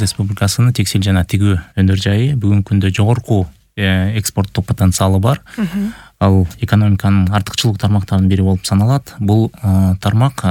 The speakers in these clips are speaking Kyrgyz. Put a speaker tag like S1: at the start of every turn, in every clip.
S1: Республикасынын текстиль жана тигүү өндөр жайы бүгүнкү күндө жогорку экспорттук потенциалы бар. Ал экономиканын артыкчылык тармактарынын бири болуп саналат. Бул тармак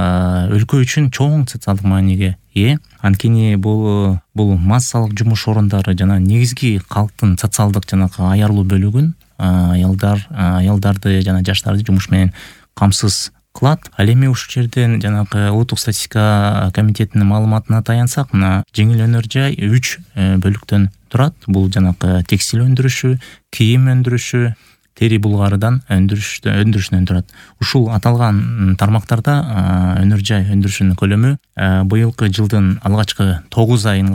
S1: өлкө үчүн чоң социалдык мааниге ээ. Анткени бул массалык жумуш орундары жана негизги калктын социалдык жанагы аярлуу бөлүгүн аялдарды жана жаштарды жумуш менен камсыз кылат. Ал эми ушул жерден жанагы улуттук статистика комитетинин маалыматына таянсак, мына жеңил өнөр жай 3 бөлүктөн турат. Бул жанагы текстиль өндүрүшү, кийим өндүрүшү, тери булгарыдан өндүрүшүнөн турат. Ушул аталган тармактарда өнөр жай өндүрүшүнүн көлөмү быйылкы жылдын алгачкы 9 айын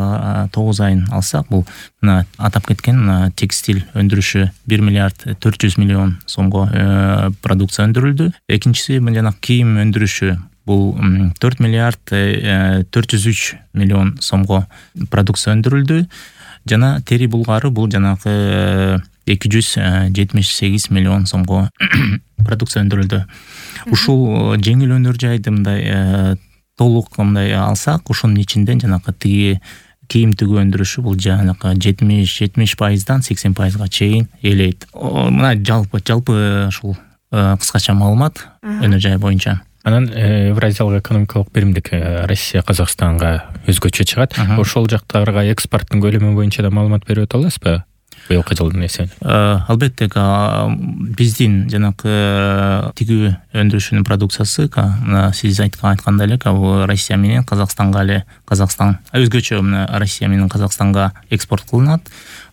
S1: алсак, бул мына атап кеткен текстиль өндүрүшү 1 миллиард 400 миллион сомго продукция өндүрүлдү. Экинчиси жана кийим өндүрүшү бул 4 миллиард 403 миллион сомго продукция өндүрүлдү. Жана тери булгары бул жанагы 278 миллион сомго продукция өндүрүлдү. Ушул жеңил өнөр жайды мындай толук мындай алсак, ушунун ичинде жанагы кийим тигүү өндүрүшү бул жанагы 70%дан 80%га чейин ээлейт. Мына жалпы ушул кыскача маалымат өнөр жай боюнча.
S2: Анан Евразиялык экономикалык биримдик Россия Казакстанга өзгөчө чыгат. Ошол жактарга экспорттун көлөмү боюнча да маалымат берип өтө аласызбы? Быйылкы жылдын эсебинен.
S1: Албетте, биздин жанагы тигүү өндүрүшүнүн продукциясы сиз айткандай эле Россия менен Казакстанга Казакстан өзгөчө Россия менен Казакстанга экспорт кылынат.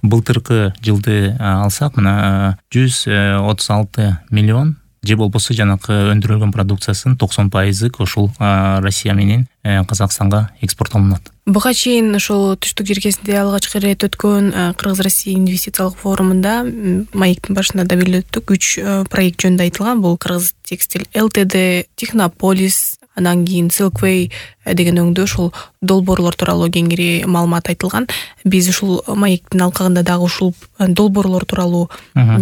S1: Былтыркы жылды алсак, 136 миллион же болбосо жанагы өндүрүлгөн продукциясынын 90% ушул Россия менен Казакстанга экспорттолунат.
S3: Буга чейин ошол түштүк жергесинде алгачкы ирет өткөн Кыргыз-Россия инвестициялык форумунда маектин башында да белгилеп өттүк. 3 проект жөнүндө айтылган. Бул Кыргыз текстиль ЛТД, Технополис, анан кийин Silkway деген өңдө ушул долбоорлор тууралуу кеңири маалымат айтылган. Биз ушул маектин алкагында дагы ушул долбоорлор тууралуу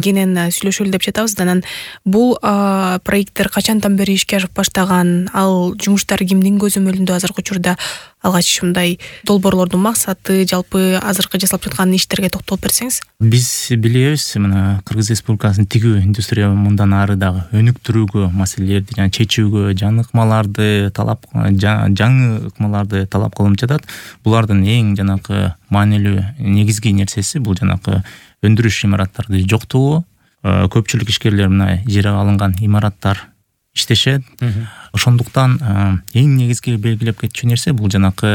S3: кенен сүйлөшөлү деп жатабыз. Анан бул проекттер качандан бери ишке ашып баштаган, ал жумуштар кимдин көзөмөлүндө азыркы учурда, алгач мындай долбоорлордун максаты, жалпы азыркы жасалып жаткан иштерге токтолуп берсеңиз.
S1: Биз билебиз, мына Кыргыз Республикасынын тигүү индустрия мындан ары дагы өнүктүрүүгө, маселелерди жана чечүүгө, жаңы ыкмаларды талап кылынып жатат. Булардын эң жанагы маанилүү негизги нерсеси бул жанагы өндүрүш имараттарды жоктугу. Көпчүлүк ишкерлер мына ижарага алынган имараттар иштешет. Ошондуктан эң негизги белгилеп кетчү нерсе бул жанагы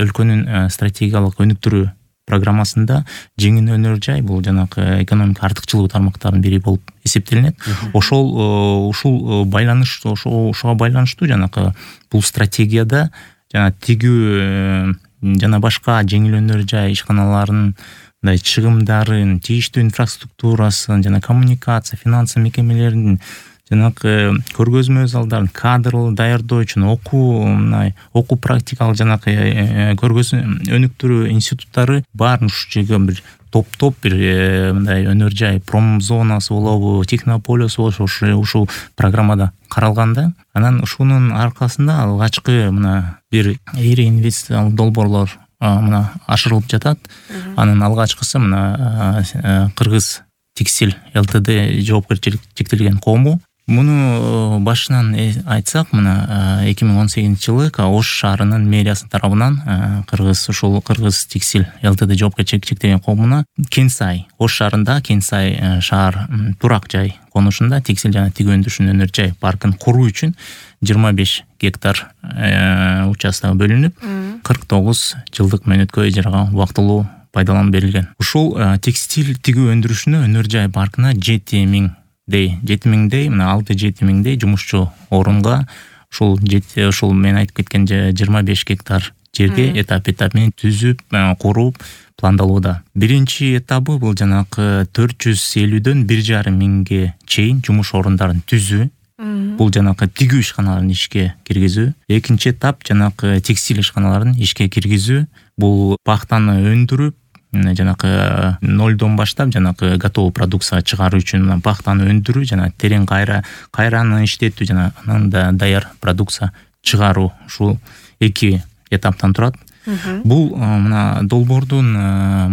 S1: өлкөнүн стратегиялык өнүктүрүү программасында жеңил өнөр жай бул жанагы экономика артыкчылыгы тармактарынын бири болуп эсептелинет. Ушуга байланыштуу жанагы бул стратегияда жана тигүү жана башка жеңил өнөр жай ишканаларынын чыгымдарын, тийиштүү инфраструктурасын жана коммуникация, финансы мекемелеринин жанагы көргөзмө залдарын, кадрлы даярдоо үчүн окуу практикалык жанагы өнүктүрүү институттары баарын ушул жерге бир топтоп бир мындай өнөр жай промзонасы болобу, Технополис болобу ушул программада каралганда, анан ушунун аркасында алгачкы мына бир ири инвестициялык долбоорлор мына ашырылып жатат. Анын алгачкысы мына Кыргыз текстиль ЛТД жоопкерчилик чектелген коому. Муну башынан айтсак, мына 2018-жылы Ош шаарынын мэриясы тарабынан Кыргыз текстиль ЛТД жоопкерчилик чектелген коомуна Кенсай, Ош шаарында Кенсай шаар турак жай конушунда текстиль жана тигүү өндүрүшүнүн өнөр жай паркын куруу үчүн 25 гектар участок бөлүнүп, 49 жылдык мөөнөткө ижарага убактылуу пайдаланып берилген. Ушул текстиль тигүү өндүрүшүнө өнөр жай паркына 7000дей, мына 6-7000дей жумушчу орунга ушул мен айтып кеткен 25 гектар жерге этап менен түзүп, куруп пландалууда. Биринчи этабы бул жанагы 450дөн 1,5 миңге чейин жумуш орундарын түзүү. Бул жанагы тигүү ишканаларын ишке киргизүү. Экинчи этап жанагы текстиль ишканаларын ишке киргизүү. Бул пахтаны өндүрүп, жанагы нолдон баштап жанагы готовый продукция чыгаруу үчүн пахтаны өндүрүү жана терең кайраны иштетүү жана анан да даяр продукция чыгаруу. Ушул 2 этаптан турат. Бул мына долбоордун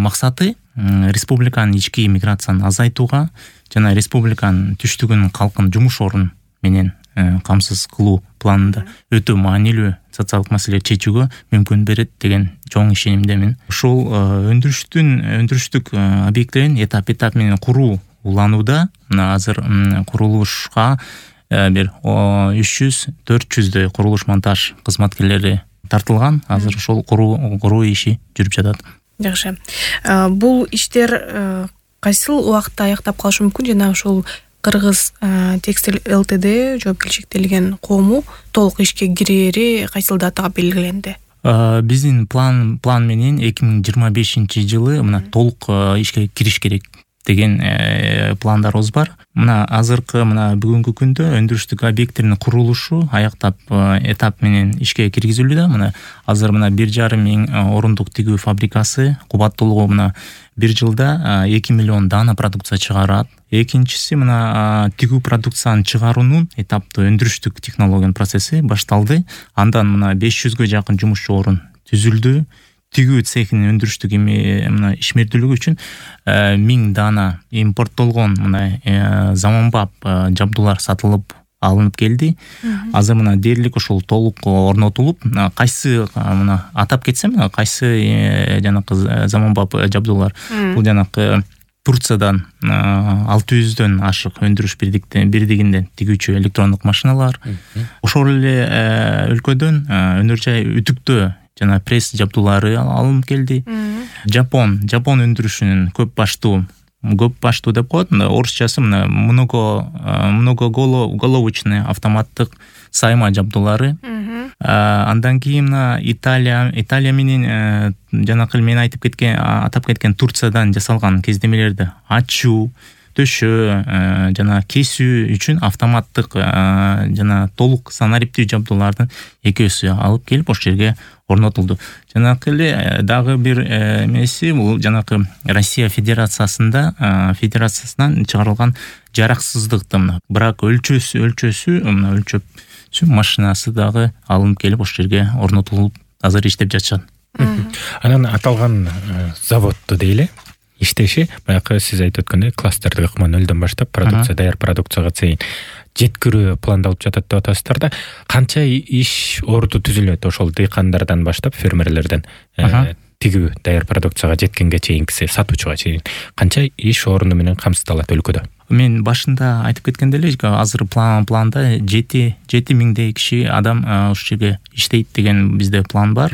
S1: максаты республиканын ички миграцияны азайтууга жана республиканын түштүгүнүн калкын жумуш орун менен камсыз кылуу планында өтө маанилүү социалдык маселелерди чечүүгө мүмкүн берет деген чоң ишенимдемин. Ушул өндүрүштүк объекттерин этап менен куруу уланууда. Мына азыр курулушка бир 300-400дөй курулуш монтаж кызматкерлери тартылган. Азыр ошол куруу иши жүрүп жатат.
S3: Жакшы. Бул иштер кайсыл убакытта аяктап калышы мүмкүн жана ошол Кыргыз текстиль ЛТД жоопкерчиликтелген коому толук ишке кирери кайсыл датага белгиленди?
S1: Биздин план менен 2025-жылы мына толук ишке кириш керек деген пландарыбыз бар. Мына азыркы бүгүнкү күндө өндүрүштүк объекттердин курулушу аяктап этап менен ишке киргизилүүдө. Мына азыр 1,5 миң орундук тигүү фабрикасы кубаттуулугу 1 жылда 2 миллион дана продукция чыгарат. Экинчиси тигүү продукцияны чыгаруунун этаптуу өндүрүштүк технологиянын процесси башталды. Андан 500гө жакын жумушчу орун түзүлдү. Тигүү цехинин өндүрүштүк ишмердүүлүгү үчүн 1000 дана импорттолгон заманбап жабдуулар сатылып алынып келди. Азыр дээрлик ошол толук орнотулуп, кайсы атап кетсем, кайсы жанакы заманбап жабдуулар бул жанакы Турциядан 600дөн ашык өндүрүш бирдигинде тигүүчү электрондук машиналар. Ошол эле өлкөдөн өнөр жай үтүктөө жана пресс жабдуулары алынып келди. Жапон өндүрүшүнүн көп баштуу деп коет. Орусчасы многоголовочный автоматтык сайма жабдуулары. Андан кийин Италия менен жанакы мен атап кеткен Турциядан жасалган кездемелерди ачуу, төшөө жана кесүү үчүн автоматтык жана толук санариптүү жабдуулардын экөөсү алып келип ошол жерге орнотулду. Жанакы эле дагы бир эмеси бул жанакы Россия Федерациясынан чыгарылган жараксыздыкты бирок өлчөп машинасы дагы алынып келип ошол жерге орнотулуп азыр иштеп жатышат.
S2: Анан аталган заводду дейли иштеши баягы сиз айтып өткөндөй кластердик ыкма-нөлдөн баштап даяр продукцияга чейин жеткирүү пландалып жатат деп атасыздар да. Канча иш орду түзүлөт ошол дыйкандардан баштап, фермерлерден тигүү даяр продукцияга жеткенге чейинкиси, сатуучуга чейин канча иш орду менен камсыздалат өлкөдө?
S1: Мен башында айтып кеткендей эле, азыр планда 7 миңдей киши адам ушул жерге иштейт деген бизде план бар.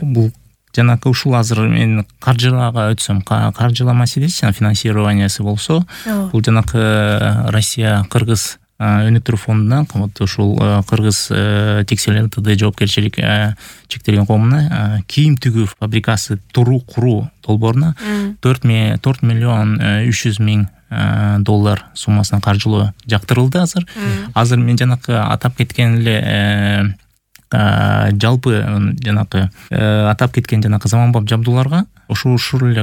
S1: Бул жанакы ушул азыр мен каржылага өтсөм, каржыла маселеси жана финансированиясы болсо, бул жанакы Россия-Кыргыз өнүктүрүү фондунан ушул Кыргыз текстиль ЛТД жоопкерчилик чектелген коомуна кийим тигүү фабрикасы куруу долбооруна 4 миллион 300 миң доллар суммасына каржылоо жактырылды азыр. Азыр мен жанакы атап кеткен эле жалпы жанакы атап кеткен жанакы заманбап жабдууларга ушул эле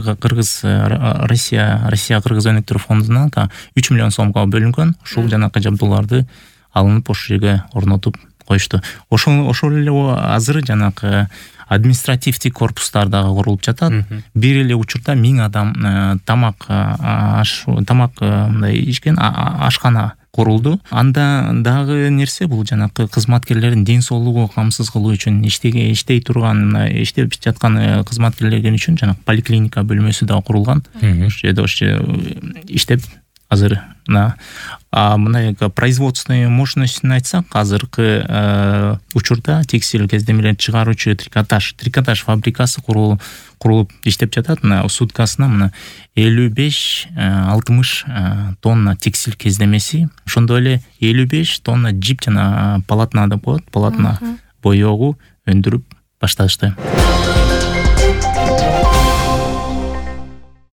S1: Россия Кыргыз өнүктүрүү фондунан 3 миллион сомго бөлүнгөн. Ушул жанакы жабдууларды алынып ошол жерге орнотуп коюшту. Ошол эле азыр жанакы административдик корпустар дагы курулуп жатат. Бир эле учурда 1000 адам тамак ишкен ашкана курулду. Анда дагы нерсе бул жанакы кызматкерлердин ден соолугу камсыз кылуу үчүн иштей турган, иштеп жаткан кызматкерлер үчүн жанакы поликлиника бөлмөсү дагы курулган. Ошол жерде иштеп азыр мына производственный мощностьун айтсак, азыркы учурда текстиль кездемелерин чыгаруучу трикотаж фабрикасы курулуп иштеп жатат. Суткасына 55-60 тонна текстиль кездемеси, ошондой эле 55 тонна жип жана полотна деп коет, полотна боёгу өндүрүп башташты.